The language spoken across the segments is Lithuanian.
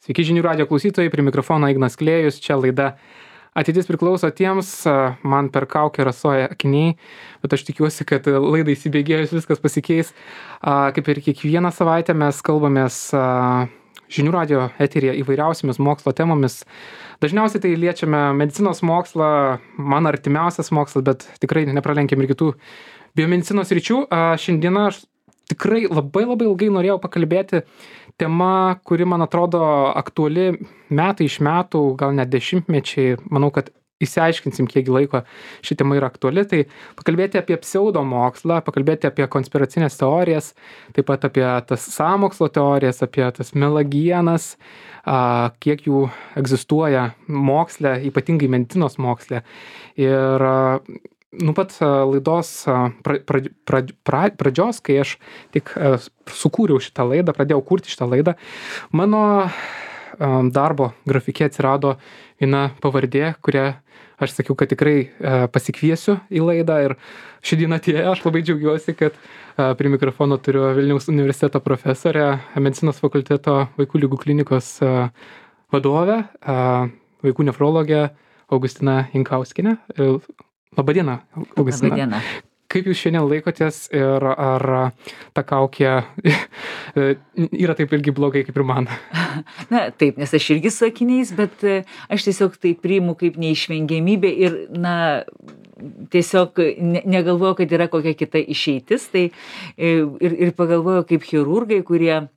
Sveiki žinių radio klausytojai, prie mikrofono Ignas Klėjus, čia laida Ateitis priklauso tiems, man per kaukę rasoja akiniai, bet aš tikiuosi, kad laidai įsibėgėjus viskas pasikeis. Kaip ir kiekvieną savaitę mes kalbamės žinių radio eteryje įvairiausiamis mokslo temomis. Dažniausiai tai liečiame medicinos mokslą, man artimiausias mokslas, bet tikrai nepralenkėm ir kitų biomedicinos ryčių. Šiandieną aš tikrai labai ilgai norėjau pakalbėti tema, kuri man atrodo aktuali metai iš metų, gal net dešimtmečiai. Manau, kad išsiaiškinsim, kiek laiko ši tema yra aktuali. Tai pakalbėti apie pseudomokslą, pakalbėti apie konspiracinės teorijas, taip pat apie tas sąmokslo teorijas, apie tas melagienas, kiek jų egzistuoja moksle, ypatingai medicinos moksle. Ir nuo pat laidos pradžios, kai aš tik sukūriau šitą laidą, pradėjau kurti šitą laidą, mano darbo grafike atsirado viena pavardė, kurią aš sakiau, kad tikrai pasikviesiu į laidą, ir ši diena atėjo. Aš labai džiaugiuosi, kad prie mikrofono turiu Vilniaus universiteto profesorę, medicinos fakulteto vaikų ligų klinikos vadovę, vaikų nefrologę Augustiną Jankauskienę. Labadiena, Augustina. Labadiena. Kaip jūs šiandien laikotės ir ar ta kaukė yra taip irgi blogai kaip ir man? Na, taip, nes aš irgi su akiniais, bet aš tiesiog tai priimu kaip neišvengiamybę ir, tiesiog negalvoju, kad yra kokia kita išeitis. Tai ir pagalvoju kaip chirurgai, kurie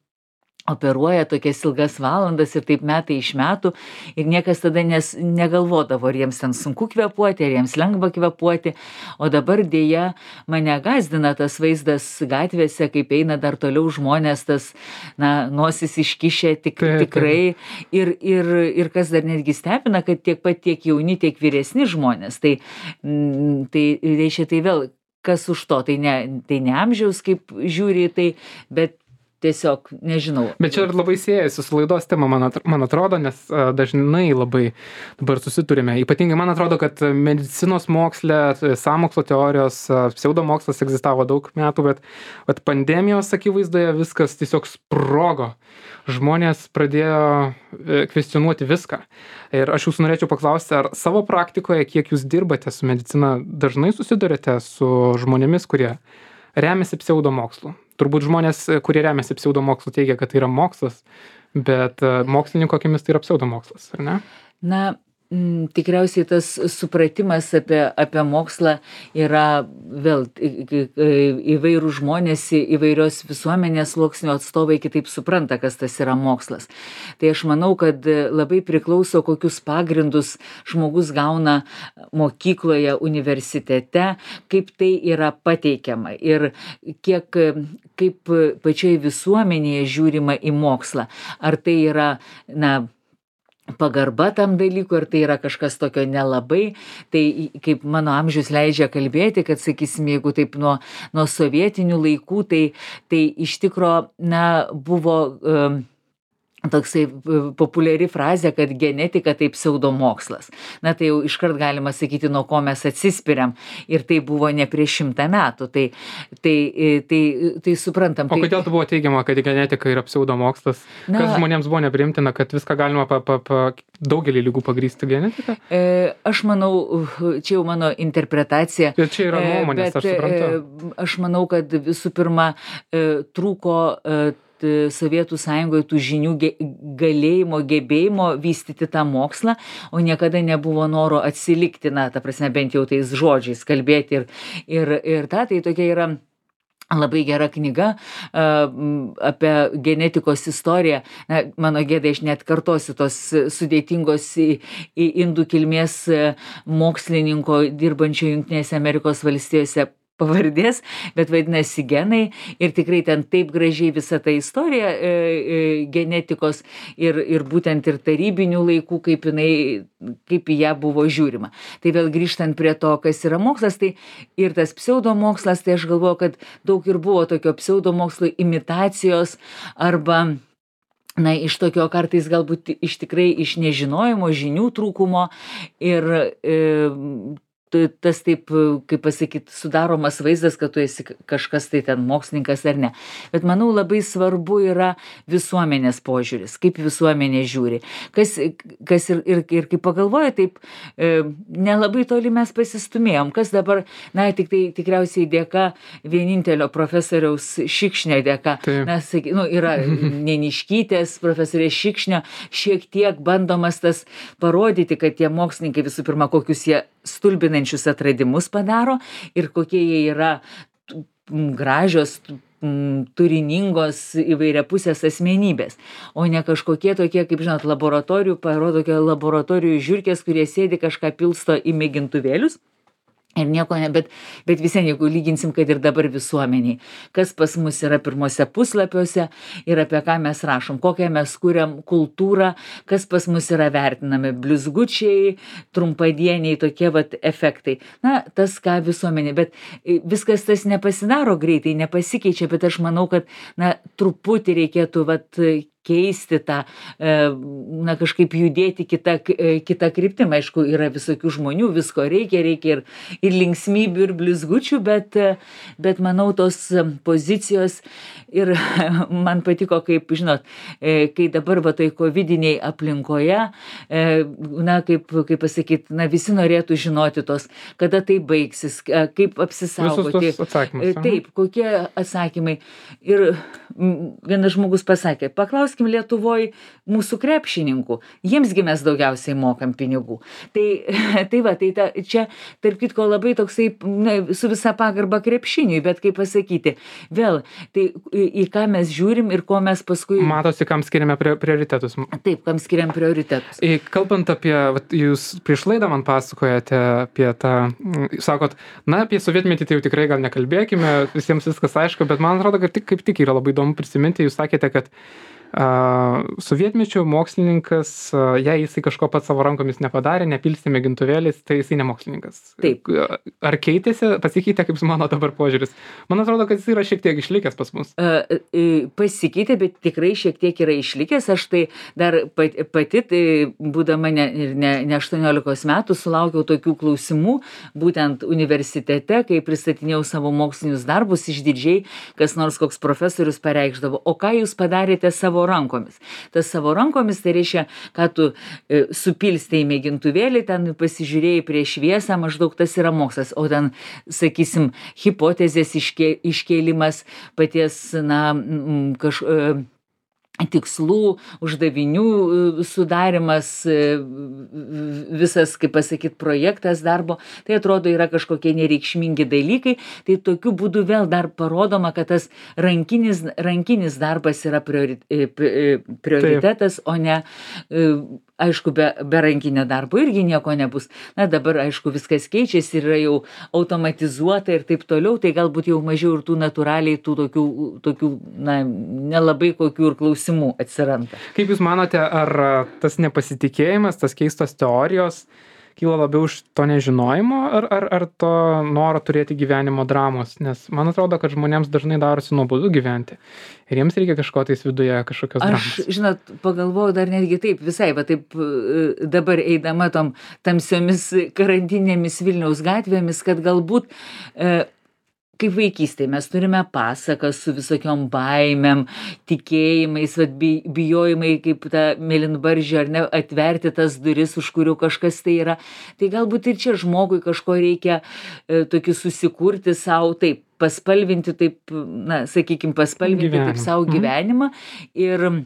operuoja tokias ilgas valandas ir taip metai iš metų, ir niekas tada negalvodavo, ar jiems ten sunku kvėpuoti, ar jiems lengva kvėpuoti. O dabar dėja mane gąsdina tas vaizdas gatvėse, kaip eina dar toliau žmonės, tas, nosis iškišę tikrai. Ir kas dar netgi stebina, kad tiek jauni, tiek vyresni žmonės. Tai reiškia, tai vėl kas už to, tai ne amžiaus, kaip žiūri į tai, bet tiesiog nežinau. Bet čia ir labai siejasi su laidos tema, man atrodo, nes dažnai labai dabar susiturime. Ypatingai man atrodo, kad medicinos moksle, sąmokslo teorijos, pseudomokslas egzistavo daug metų, bet pandemijos akivaizdoje viskas tiesiog sprogo. Žmonės pradėjo kvestionuoti viską. Ir aš jūsų norėčiau paklausti, ar savo praktikoje, kiek jūs dirbate su medicina, dažnai susidurite su žmonėmis, kurie remiasi pseudomokslu? Turbūt žmonės, kurie remiasi pseudomokslu, teigia, kad tai yra mokslas, bet mokslininko akimis tai yra pseudomokslas, ar ne? Tikriausiai tas supratimas apie mokslą yra vėl įvairūs žmonės, įvairios visuomenės sluoksnių atstovai kitaip supranta, kas tas yra mokslas. Tai aš manau, kad labai priklauso, kokius pagrindus žmogus gauna mokykloje, universitete, kaip tai yra pateikiama ir kaip pačioje visuomenėje žiūrima į mokslą. Ar tai yra, pagarba tam dalykui, ar tai yra kažkas tokio nelabai. Tai kaip mano amžius leidžia kalbėti, kad, sakysim, jeigu taip nuo sovietinių laikų, tai iš tikro, buvo toksai populiari frazė, kad genetika tai pseudomokslas. Tai jau iškart galima sakyti, nuo ko mes atsispiriam. Ir tai buvo ne prieš 100 metų. Tai suprantam. O kodėl tai buvo teigiama, kad genetika yra pseudomokslas? Kas žmonėms buvo neprimtina, kad viską galima daugelį ligų pagrįsti genetiką? Aš manau, čia jau mano interpretacija. Ir čia yra nuomonės, aš suprantu. Aš manau, kad visų pirma trūko Sovietų Sąjungoje tų žinių galėjimo, gebėjimo vystyti tą mokslą, o niekada nebuvo noro atsilikti, ta prasme, bent jau tais žodžiais kalbėti. Ir tai tokia yra labai gera knyga apie genetikos istoriją. Mano gėda, aš net kartosiu tos sudėtingos indų kilmės mokslininko dirbančio Jungtinėse Amerikos valstijose pavardės, bet vadinasi genai, ir tikrai ten taip gražiai visa ta istorija genetikos ir būtent ir tarybinių laikų, kaip į ją buvo žiūrima. Tai vėl grįžtant prie to, kas yra mokslas, tai ir tas pseudomokslas, tai aš galvoju, kad daug ir buvo tokio pseudomokslo imitacijos arba iš tokio kartais galbūt iš nežinojimo, žinių trūkumo ir tas taip, kaip pasakyti, sudaromas vaizdas, kad tu esi kažkas tai ten mokslininkas ar ne. Bet manau labai svarbu yra visuomenės požiūris, kaip visuomenė žiūri. Kas ir kaip pagalvoja, taip nelabai toli mes pasistumėjom. Kas dabar, na, tikriausiai dėka vienintelio profesoriaus Šikšnio dėka. Na, yra Neniškytės, profesorės Šikšnio, šiek tiek bandomas tas parodyti, kad tie mokslininkai visų pirma, kokius jie stulbinančius atradimus padaro ir kokie jie yra gražios, turiningos įvairiapusės asmenybės, o ne kažkokie tokie, kaip žinot, parodo laboratorijų žiurkės, kurie sėdi kažką pilsto į mėgintuvėlius. Ir nieko ne, bet visien, jeigu lyginsim, kad ir dabar visuomeniai, kas pas mus yra pirmose puslapiuose ir apie ką mes rašom, kokią mes kuriam kultūrą, kas pas mus yra vertinami, blizgučiai, trumpadieniai, tokie vat efektai. Na, tas ką visuomenė, bet viskas tas nepasidaro greitai, nepasikeičia, bet aš manau, kad, na, truputį reikėtų vat keisti tą, na, kažkaip judėti kitą kryptim. Aišku, yra visokių žmonių, visko reikia ir linksmybių, ir blizgučių, bet manau, tos pozicijos ir man patiko, kaip, žinot, kai dabar va toj covidiniai aplinkoje, na, kaip pasakyti, na, visi norėtų žinoti tos, kada tai baigsis, kaip apsisaugoti. Visus tos atsakymus. Taip, kokie atsakymai. Ir vienas žmogus pasakė, paklauskim Lietuvoj mūsų krepšininkų, jiemsgi mes daugiausiai mokam pinigų. Tai čia, tarp kitko, labai toksai, na, su visa pagarba krepšiniui, bet kaip pasakyti, vėl, tai į ką mes žiūrim ir ko mes paskui... Matosi, kam skiriame prioritetus. Taip, kam skiriam prioritetus. Kalbant apie, jūs prieš laidą man pasakojate apie tą, sakot, na, apie sovietmetį tai jau tikrai gal nekalbėkime, visiems viskas aišku, bet man atrodo, kad kaip tik yra labai įdomu prisiminti, jūs sakėte, kad sovietmečio mokslininkas, jei jisai kažko pats savo rankomis nepadarė, nepilstė mėgintuvėlis, tai jisai ne mokslininkas. Taip. Ar pasikeitė, kaip mano dabar požiūris? Man atrodo, kad jis yra šiek tiek išlikęs pas mus. Pasikeitė, bet tikrai šiek tiek yra išlikęs. Aš tai dar pati, tai būdama ne 18 metų, sulaukiau tokių klausimų, būtent universitete, kai pristatinėjau savo mokslinius darbus, išdidžiai, kas nors koks profesorius pareikšdavo, o ką jūs padarėte savo rankomis. Tas savo rankomis, tai reiškia, kad tu supilstei mėgintuvėlį, ten pasižiūrėjai prieš šviesą, maždaug tas yra mokslas, o ten, sakysim, hipotezės iškėlimas, paties, na, tikslų, uždavinių sudarimas, visas, kaip pasakyti, projektas darbo, tai atrodo yra kažkokie nereikšmingi dalykai, tai tokiu būdu vėl dar parodoma, kad tas rankinis darbas yra prioritetas, o ne, aišku, be rankinio darbo irgi nieko nebus. Na, dabar, aišku, viskas keičiasi, yra jau automatizuota ir taip toliau, tai galbūt jau mažiau ir tų natūraliai, tų tokių, na, nelabai kokių ir klausimų atsiranda. Kaip Jūs manote, ar tas nepasitikėjimas, tas keistos teorijos kyla labiau iš to nežinojimo, ar to noro turėti gyvenimo dramos? Nes man atrodo, kad žmonėms dažnai darosi nuobodu gyventi. Ir jiems reikia kažko tais viduje, kažkokios dramos. Aš, žinot, pagalvojau dar netgi taip, visai, va taip dabar eidama tom tamsiomis karantinėmis Vilniaus gatvėmis, kad galbūt kaip vaikystėje mes turime pasakas su visokiom baimėm, tikėjimais, bijojimai kaip ta mėlynbaržė, ar ne, atverti tas duris, už kurių kažkas tai yra. Tai galbūt ir čia žmogui kažko reikia tokį susikurti savo, taip, paspalvinti, taip, na, sakykime, paspalvinti taip savo gyvenimą ir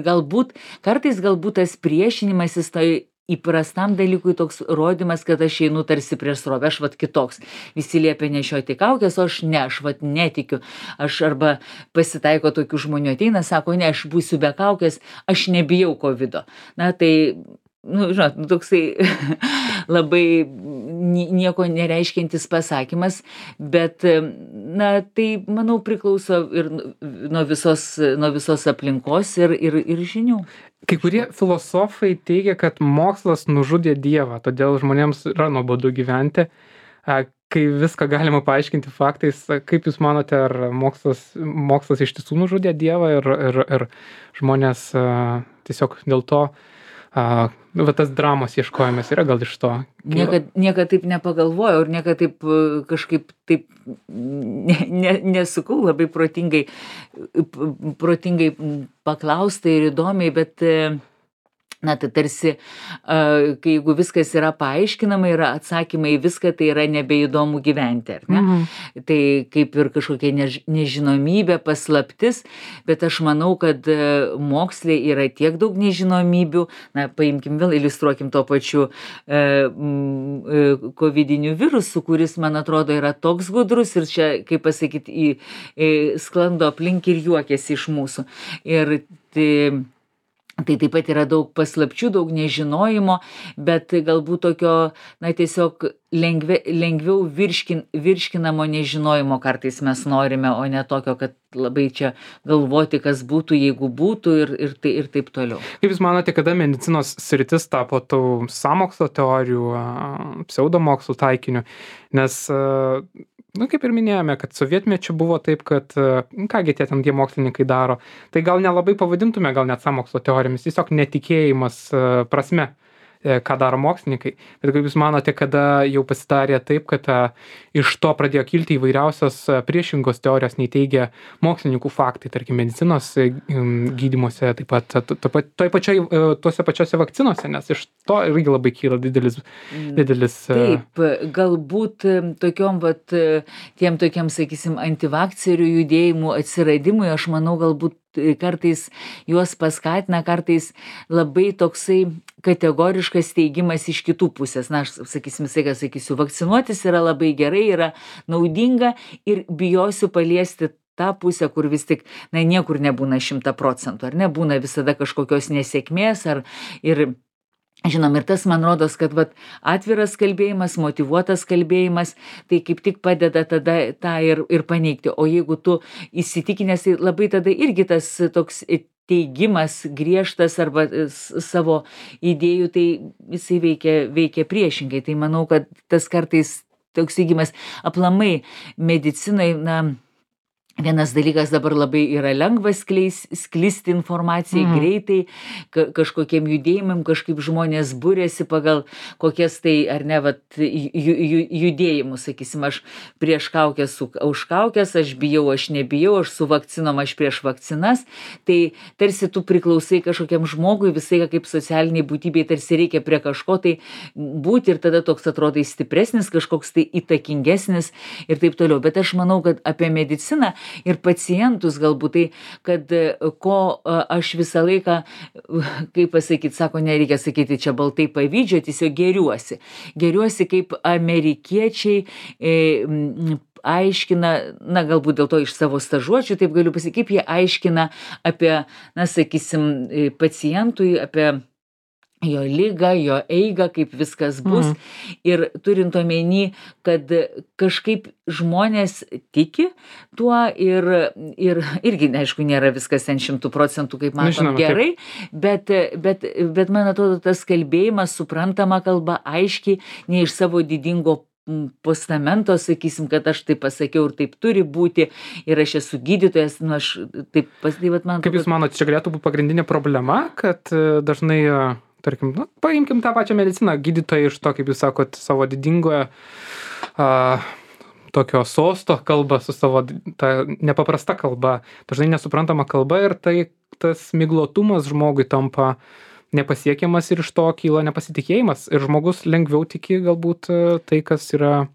galbūt, kartais galbūt tas priešinimasis tai įprastam dalykui toks rodymas, kad aš einu tarsi prieš srovę, aš vat kitoks. Visi liepia nešioti kaukės, o aš ne, aš vat netikiu. Aš arba pasitaiko tokių žmonių ateina, sako, ne, aš būsiu be kaukės, aš nebijau covido. Na tai, nu, žinot, toksai labai nieko nereiškiantis pasakymas, bet, na, tai, manau, priklauso ir nuo visos aplinkos ir žinių. Kai kurie filosofai teigia, kad mokslas nužudė Dievą, todėl žmonėms yra nuobodu gyventi. Kai viską galima paaiškinti faktais, kaip Jūs manote, ar mokslas iš tiesų nužudė Dievą ir žmonės tiesiog dėl to va tas dramos ieškojimas yra gal iš to. Niekad taip nepagalvojau ir niekad taip kažkaip taip nesukau labai protingai paklaustai ir įdomiai, bet na, tai tarsi, kai jeigu viskas yra paaiškinama, yra atsakymai į viską, tai yra nebeįdomu gyventi, ar ne? Tai kaip ir kažkokia nežinomybė, paslaptis, bet aš manau, kad moksle yra tiek daug nežinomybių, na, paimkim vėl, iliustruokim to pačiu kovidiniu virusu, kuris, man atrodo, yra toks gudrus ir čia, kaip pasakyti, sklando aplink ir juokiasi iš mūsų. Ir tai taip pat yra daug paslapčių, daug nežinojimo, bet galbūt tokio, na, tiesiog lengviau virškinamo nežinojimo kartais mes norime, o ne tokio, kad labai čia galvoti, kas būtų, jeigu būtų ir taip toliau. Kaip Jūs manote, kada medicinos sritis tapo tų sąmokslo teorijų, pseudomokslo taikiniu? Nes nu, kaip ir minėjome, kad sovietmečiu buvo taip, kad kągi tie mokslininkai daro, tai gal nelabai pavadintume gal net sąmokslo teorijomis, tiesiog netikėjimas prasme, ką daro mokslininkai. Bet kaip Jūs manote, kada jau pasidarė taip, kad iš to pradėjo kilti įvairiausios priešingos teorijos, nei teigia mokslininkų faktai, tarkim, medicinos gydymuose, taip pat tuose pačiose vakcinose, nes iš to irgi labai kyla didelis. Taip, galbūt tokiom, tiem tokiam, sakysim, antivakcerių judėjimų atsiradimui, aš manau, galbūt kartais juos paskatina, kartais labai toksai kategoriškas teigimas iš kitų pusės. Na, aš sakysim, sakysiu, vakcinuotis yra labai gerai, yra naudinga ir bijosiu paliesti tą pusę, kur vis tik, na, niekur nebūna 100%, ar ne, būna visada kažkokios nesėkmės, ir žinom, ir tas man rodos, kad atviras kalbėjimas, motyvuotas kalbėjimas, tai kaip tik padeda tada tą ir paneigti. O jeigu tu įsitikinęs, tai labai tada irgi tas toks teigimas griežtas arba savo idėjų, tai jisai veikia priešingai. Tai manau, kad tas kartais toks teigimas aplamai medicinai, na, vienas dalykas dabar labai yra lengva sklisti informacijai greitai, kažkokiem judėjimam, kažkaip žmonės būrėsi pagal kokias tai, ar ne, judėjimus, sakysim, aš prieš kaukės, už kaukės, aš bijau, aš nebijau, aš su vakcinom, aš prieš vakcinas, tai tarsi tu priklausai kažkokiam žmogui, visai kaip socialiniai būtybei, tarsi reikia prie kažko tai būti ir tada toks atrodai stipresnis, kažkoks tai įtakingesnis ir taip toliau. Bet aš manau, kad apie mediciną ir pacientus galbūt tai, kad ko aš visą laiką, kaip pasakyti, sako, nereikia sakyti čia baltai pavydžio, tiesiog geriuosi. Geriuosi kaip amerikiečiai aiškina, na, galbūt dėl to iš savo stažuočių, taip galiu pasakyti, kaip jie aiškina apie, na, sakysim, pacientui, apie jo ligą, jo eigą, kaip viskas bus. Ir turint omeny, kad kažkaip žmonės tiki tuo ir irgi, aišku, nėra viskas 100%, kaip matom, gerai, bet man atrodo, tas kalbėjimas, suprantama kalba, aiškiai, ne iš savo didingo postamento, sakysim, kad aš taip pasakiau ir taip turi būti ir aš esu gydytojas, nu aš taip man... Kaip Jūs manote, čia galėtų būti pagrindinė problema, kad dažnai tarkim, nu, paimkim tą pačią mediciną, gydytojai iš to, kaip Jūs sakot, savo didingoje tokio sosto kalba su savo ta nepaprasta kalba, dažnai nesuprantama kalba ir tai tas miglotumas žmogui tampa nepasiekiamas ir iš to kyla nepasitikėjimas ir žmogus lengviau tiki galbūt tai, kas yra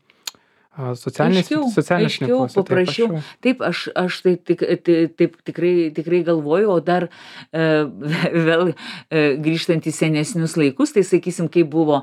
aiškiau, paprasčiau. Taip, aš taip tikrai galvoju, o dar vėl grįžtant į senesnius laikus, tai sakysim, kaip buvo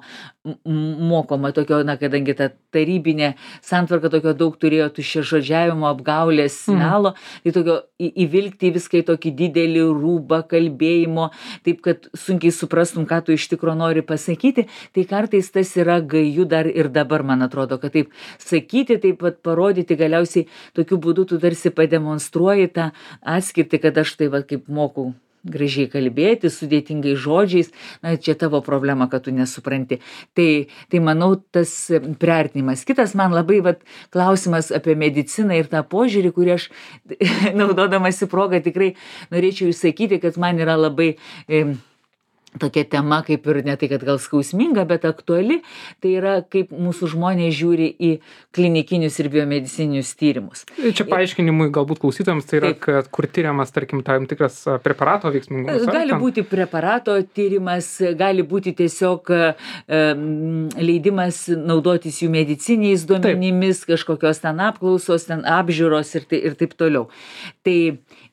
mokoma tokio, na, kadangi ta tarybinė santvarka tokio daug turėjo tuščiažodžiavimo, apgaulės, melo, tai tokio įvilkti viską į tokį didelį rūbą kalbėjimo, taip, kad sunkiai suprastum, ką tu iš tikro nori pasakyti, tai kartais tas yra gaju dar ir dabar, man atrodo, kad taip sakyti, taip pat parodyti, galiausiai tokiu būdu tu tarsi pademonstruoji tą atskirtį, kad aš tai kaip moku gražiai kalbėti, sudėtingais žodžiais, na, čia tavo problema, kad tu nesupranti. Tai manau, tas priartinimas. Kitas man labai klausimas apie mediciną ir tą požiūrį, kurį aš, naudodamasi progą, tikrai norėčiau išsakyti, kad man yra labai tokia tema kaip ir ne tai, kad gal skausminga, bet aktuali, tai yra kaip mūsų žmonės žiūri į klinikinius ir biomedicininius tyrimus. Čia paaiškinimui galbūt klausytojams tai yra, kad kur tyriamas, tarkim, tam tikras preparato veiksmingumas. Gali būti preparato tyrimas, gali būti tiesiog leidimas naudotis jų mediciniais duomenimis, kažkokios ten apklausos, ten apžiūros ir taip toliau. Tai,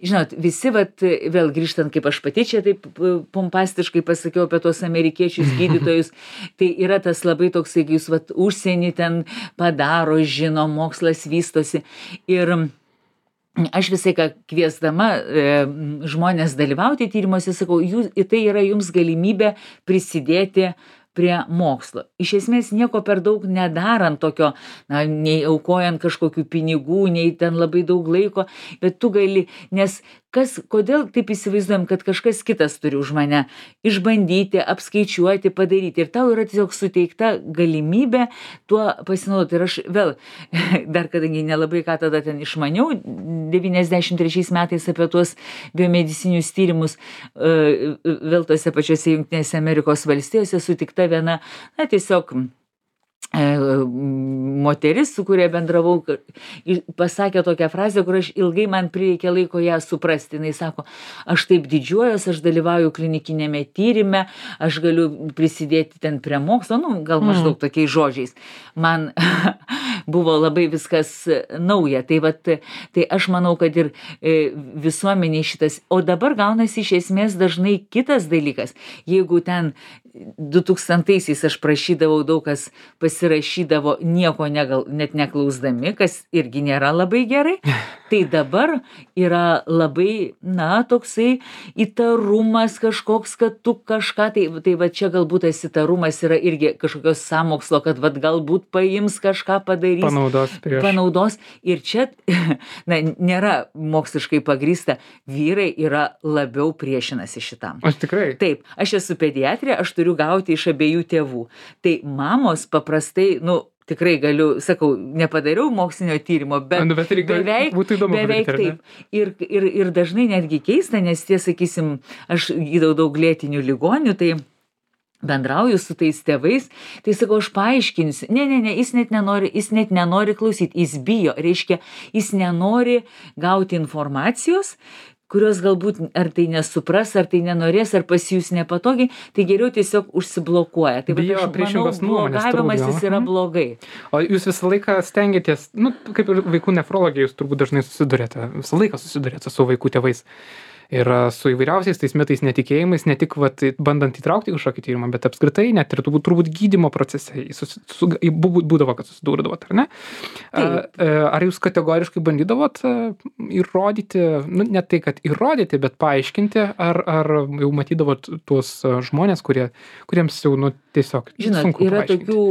žinot, visi, vėl grįžtant, kaip aš pati čia taip pompastiškai pasakiau apie tos amerikiečius gydytojus, tai yra tas labai toksai, kai jūs užsienį ten padaro, žino, mokslas vystosi. Ir aš visai ką kviesdama žmonės dalyvauti tyrimuose, sakau, tai yra jums galimybė prisidėti prie mokslo. Iš esmės nieko per daug nedarant tokio, nei aukojant kažkokių pinigų, nei ten labai daug laiko, bet tu gali, nes kodėl taip įsivaizduojam, kad kažkas kitas turi už mane išbandyti, apskaičiuoti, padaryti. Ir tau yra tiesiog suteikta galimybė tuo pasinaudoti. Ir aš vėl, dar kadangi nelabai ką tada ten išmaniau, 93 metais apie tuos biomedicinius tyrimus, vėl tose pačiose Jungtinėse Amerikos valstijose sutikta viena, tiesiog moteris, su kuria bendravau, pasakė tokią frazę, kur ilgai man prireikė laiko ją suprasti. Jis sako, aš taip didžiuojuosi, aš dalyvauju klinikinėme tyrime, aš galiu prisidėti ten prie mokslo, gal maždaug tokiais žodžiais. Man buvo labai viskas nauja. Tai aš manau, kad ir visuomeniai šitas, o dabar gaunasi iš esmės dažnai kitas dalykas. Jeigu ten 2000-aisiais aš prašydavau, daug kas pasirašydavo nieko net neklausdami, kas irgi nėra labai gerai, tai dabar yra labai, toksai įtarumas kažkoks, kad tu kažką, tai čia galbūt tas įtarumas yra irgi kažkokios sąmokslo, kad galbūt paims kažką padarys. Panaudos. Ir čia, nėra moksliškai pagrįsta, vyrai yra labiau priešinasi šitam. Aš tikrai. Taip, aš esu pediatrė, aš turiu gauti iš abiejų tėvų. Tai mamos paprastai, tikrai galiu, sakau, nepadariau mokslinio tyrimo, bet beveik taip. Ir dažnai netgi keista, nes sakysim, aš gydau daug lėtinių ligonių, tai bendrauju su tais tėvais, tai sakau, aš paaiškinsiu. Ne, jis net nenori klausyti, jis bijo, reiškia, jis nenori gauti informacijos, kurios galbūt ar tai nesupras, ar tai nenorės, ar pasijus nepatogiai, tai geriau tiesiog užsiblokuoja. Tai bijo priešingos nuomonės. Blogavimas yra blogai. O jūs visą laiką stengiatės, kaip ir vaikų nefrologija, jūs turbūt dažnai visą laiką susidurėte su vaikų tėvais. Ir su įvairiausiais tais mitais, netikėjimais, ne tik bandant įtraukti kažkokį tyrimą, bet apskritai net ir turbūt gydymo procese būdavo, kad susidūrdavot, ar ne? Ar jūs kategoriškai bandydavot įrodyti, ne tai, kad įrodyti, bet paaiškinti, ar jau matydavot tuos žmonės, kuriems jau tiesiog sunku paaiškinti? Yra tokių,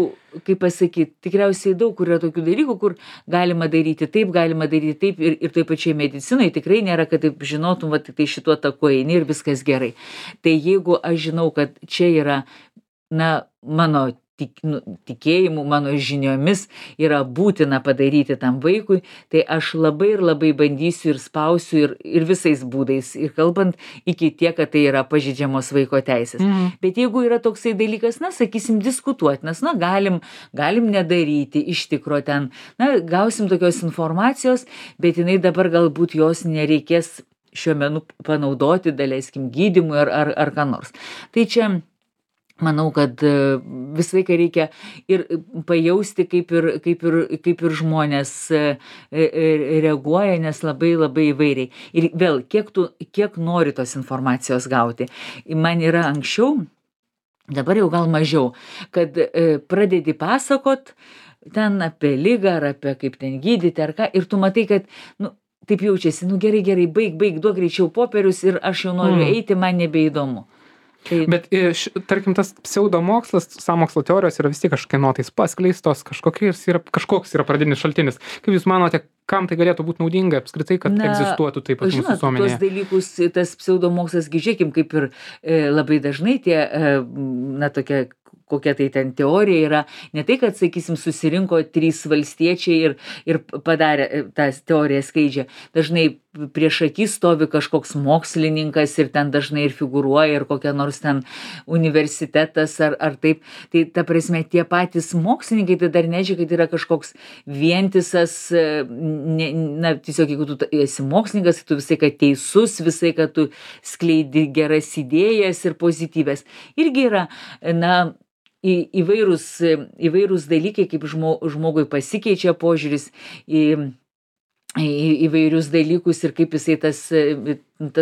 kaip pasakyti, tikriausiai daug, kur yra tokių dalykų, kur galima daryti taip ir taip pačiai medicinai tikrai nėra, kad taip žinotum, tai šituo taku eini ir viskas gerai. Tai jeigu aš žinau, kad čia yra, mano tikėjimu, mano žiniomis yra būtina padaryti tam vaikui, tai aš labai ir labai bandysiu ir spausiu ir visais būdais, ir kalbant iki tiek, kad tai yra pažeidžiamos vaiko teisės. Bet jeigu yra toksai dalykas, sakysim, diskutuotinas, galim nedaryti iš tikro ten, gausim tokios informacijos, bet jinai dabar galbūt jos nereikės šiuo metu panaudoti, daleiskim, gydymui ar ką nors. Tai čia manau, kad visą laiką reikia ir pajausti, kaip ir žmonės reaguoja, nes labai labai įvairiai. Ir vėl, kiek nori tos informacijos gauti. Man yra anksčiau, dabar jau gal mažiau, kad pradedi pasakot ten apie ligą, ar apie kaip ten gydyti, ar ką, ir tu matai, kad, taip jaučiasi, gerai, baig, duok greičiau popierius ir aš jau noriu eiti, man nebeįdomu. Bet, tarkim, tas pseudomokslas, sąmokslo teorijos yra vis tiek kažkieno tais paskleistos, kažkoks yra pradinis šaltinis. Kaip jūs manote, kam tai galėtų būti naudinga apskritai, kad egzistuotų taip pat mūsų visuomenėje? Tuos dalykus, tas pseudomokslas, žiūrėkim, kaip ir labai dažnai tie, tokia kokia tai ten teorija yra, ne tai, kad, sakysim, susirinko 3 valstiečiai ir padarė, tą teoriją skleidžia. Dažnai prieš akį stovi kažkoks mokslininkas ir ten dažnai ir figūruoja ir kokia nors ten universitetas ar taip. Tai ta prasme, tie patys mokslininkai tai dar nežiūrė, kad yra kažkoks vientisas, tiesiog jeigu tu esi mokslininkas, tu visai, kad teisus, visai, kad tu skleidi geras idėjas ir pozityvės. Irgi yra, įvairūs dalykai, kaip žmogui pasikeičia požiūris į įvairius dalykus ir kaip jisai tas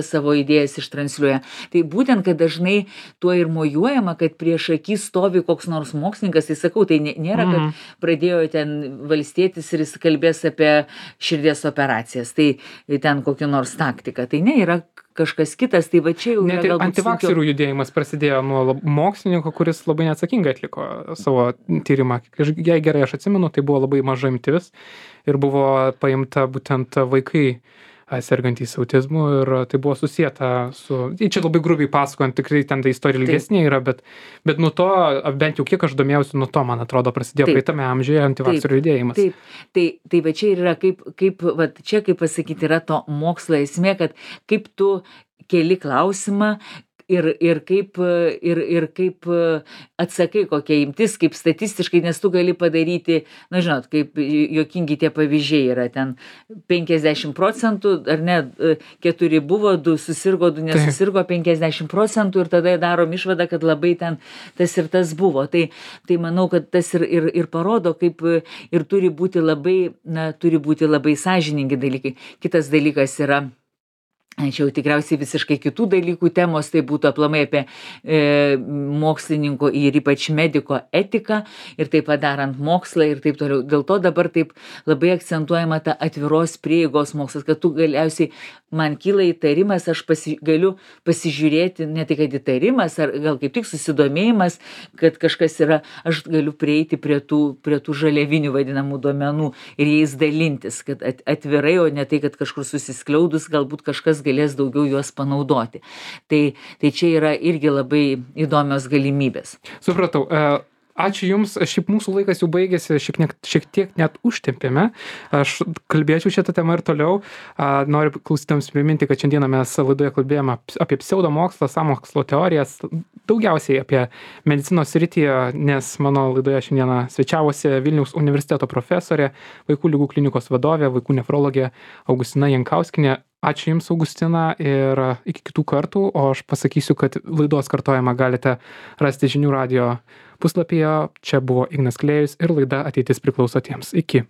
savo idėjas ištransliuoja. Tai būtent, kad dažnai tuo ir mojuojama, kad prieš akį stovi koks nors mokslininkas, tai sakau, tai nėra, kad pradėjo ten valstietis ir jis kalbės apie širdies operacijas, tai ten kokią nors taktiką. Tai ne, yra kažkas kitas, tai va čia jau yra galbūt sunkiau. Antivakserių judėjimas prasidėjo nuo mokslininko, kuris labai neatsakingai atliko savo tyrimą. Jei gerai aš atsimenu, tai buvo labai maža imtis ir buvo paimta būtent vaikai sergantys autizmu ir tai buvo susieta su, čia labai grubiai pasakojant, tikrai ten ta istorija ilgesnė yra, bet nuo to, bent jau kiek aš domėjausi, nuo to, man atrodo, prasidėjo praeitame amžiuje antivakserių judėjimas. Tai va čia ir yra, kaip pasakyti, yra to mokslo esmė, kad kaip tu keli klausimą, ir kaip atsakai, kokia imtis, kaip statistiškai, nes tu gali padaryti, žinot, kaip juokingi tie pavyzdžiai yra ten 50%, ar ne, 4 buvo, 2 susirgo, 2 nesusirgo, 50% ir tada darom išvadą, kad labai ten tas ir tas buvo. Tai manau, kad tas ir parodo, kaip ir turi būti labai sąžiningi dalykai. Kitas dalykas yra, čia jau tikriausiai visiškai kitų dalykų temos, tai būtų aplamai apie mokslininko ir ypač mediko etiką ir taip padarant mokslą ir taip toliau. Dėl to dabar taip labai akcentuojama ta atviros prieigos mokslas, kad tu galiausiai man kyla įtarimas, aš galiu pasižiūrėti, ne tik kad įtarimas, ar gal kaip tik susidomėjimas, kad kažkas yra, aš galiu prieiti prie tų žaliavinių vadinamų duomenų ir jais dalintis, kad atvirai, o ne tai, kad kažkur susiskliaudus galbūt kažkas galės daugiau juos panaudoti. Tai čia yra irgi labai įdomios galimybės. Supratau. Ačiū Jums, šiaip mūsų laikas jau baigėsi, šiek tiek net užtempėme. Aš kalbėčiau šitą temą ir toliau. Noriu klausytams priminti, kad šiandieną mes laidoje kalbėjome apie pseudomokslą, sąmokslo teorijas, daugiausiai apie medicinos sritį, nes mano laidoje šiandieną svečiavosi Vilniaus universiteto profesorė, vaikų ligų klinikos vadovė, vaikų nefrologė Augustina Jankauskienė. Ačiū Jums, Augustina, ir iki kitų kartų, o aš pasakysiu, kad laidos kartojimą galite rasti žinių radijo puslapyje. Čia buvo Ignas Klėjus ir laida Ateitis priklauso tiems. Iki.